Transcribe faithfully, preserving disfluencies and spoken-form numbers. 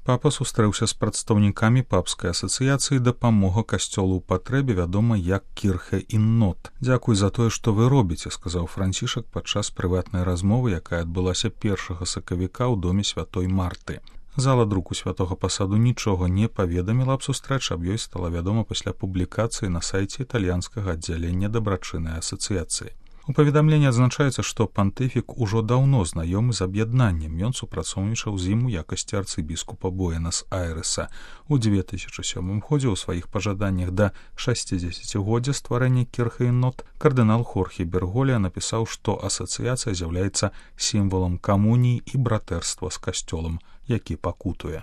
Папа сустрэўся з прадстаўнікамі папскай асацыяцыі дапамога касцёлу ў патрэбе, вядома як Кірхе ін Нот. «Дзякуй за тое, што вы робіце», — сказаў Францішак падчас прыватнай размовы, якая адбылася першага сакавіка ў доме святой Марты. Зала друку святога пасаду нічога не паведаміла аб сустрэчы, аб ёй стала вядома пасля публікацыі на сайце італьянскага аддзялення дабрачыннай асацыяцыі. У паведамленні адзначаецца, што пантыфік ужо даўно знаёмы з аб'яднаннем. Ён супрацоўнічаў з ім у якасці арцыбіскупа Буэнас-Айрэса. У дзве тысячы сёмым годзе ў сваіх пажаданнях да шасцідзесяцігоддзя стварэння Кірхе ін Нот кардынал Хорхе Берголія напісаў, што асацыяцыя з'яўляецца сімвалам камуніі і братэрства з касцёлам, які пакутуе.